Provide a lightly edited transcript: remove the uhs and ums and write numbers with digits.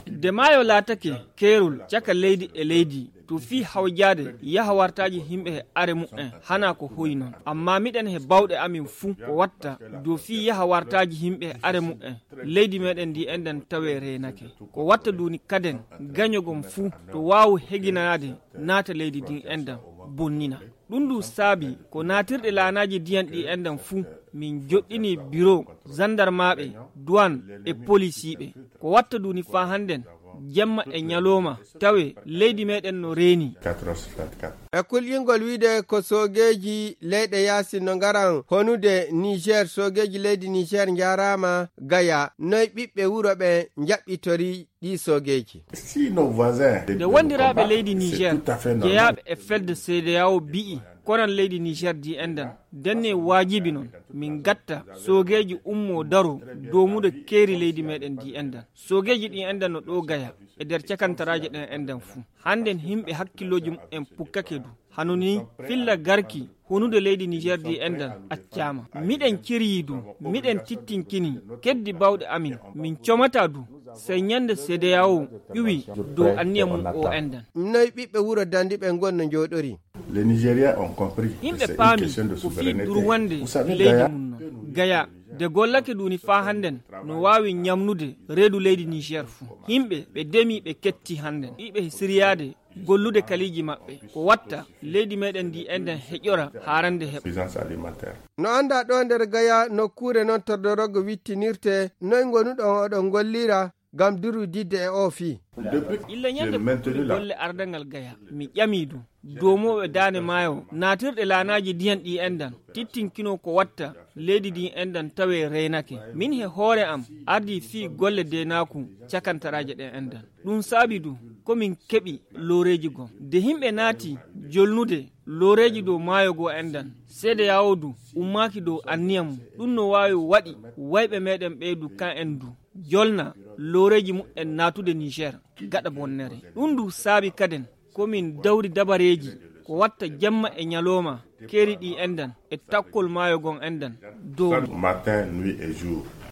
de maayo laatake keerol caka leydi e leydi to fii hawjaade yaha wartaaji himɓe he are mu'en hana ko hoyi noon amma miɗen he bawɗe amin fuu ko watta dow fii yaha wartaaji himɓe he are mu'en leydi meɗen ndi enden tawe reenake ko watta duni kaden gañogon fuu to waawu heginanaade naata leydi ndin enden bonnina ɗum ndu saabi ko naatirɗe laanaaji diyan ɗi enden fuu min joɗɗini bureau gendarmaɓe douane e policiɓe ko watta duni faa hannden jemma e ñalowma tawe leydi meɗen no reeni e kulƴingol wiide ko sogeji leyɗe yaasi no ngaran honude Niger sogeji leydi Niger jarama gaya noy ɓiɓɓe wuro ɓe jaɓɓitori ɗi sogeji nde wondiraɓe leydi Niger jeeyaɓe e felde CEDEAO bi'i konan leydi Niger di enden denne wajibi noon min gatta sogeji ummo daro domude keeri leydi meɗen di enden sogeji ɗi enden no ɗo gaya e nder cakantaraje ɗen enden fuu hannden himɓe hakkilloji en pukkake du hanoni filla garki honude leydi Niger di enden accama miɗen kiryi du miɗen tittinkini keddi bawɗe amin min comata du sey ñande CEDEAO ƴuwi dow anniya mum o enden noy ɓiɓɓe wuro dandi ɓe gonno jooɗori yimɓe paami ko fii durwande leydi mum noon gaya de gollake duni faa hannden no waawi ñamnude reedu leydi Niger fuu yimɓe ɓe demi ɓe ketti hannden ɗiɓe siriyade gollude kaliji maɓɓe ko watta leydi meɗen ndi enden heƴora haarande heɓa no anda ɗo nder gaya nokkure noon tordorogo wittinirte noy gonuɗon oɗon gollira gam durudidde e o fii illa ñande golle ardangal gaya mi ƴami du domoɓe daane maayo naatirɗe laanaji diyan ɗi endan tittinkino ko watta leydi ɗi endan tawe reynake min he hoore am ardi fii golle denaku cakantaraje ɗen endan ɗum saabi du komin keɓi looreji gon de himɓe naati jolnude looreji dow maayo go endan seede yawodu ummaki dow anniyam ɗum no wawi waɗi wayɓe meɗen ɓeydu kan en du jolna looreji mu'en natude Niger gaɗa bonnere ɗum du saabi kaden komin dawri dabareji ko watta jamma e ñalowma keeri ɗi endan e takkol maayo gon endan dow matin nuit et jour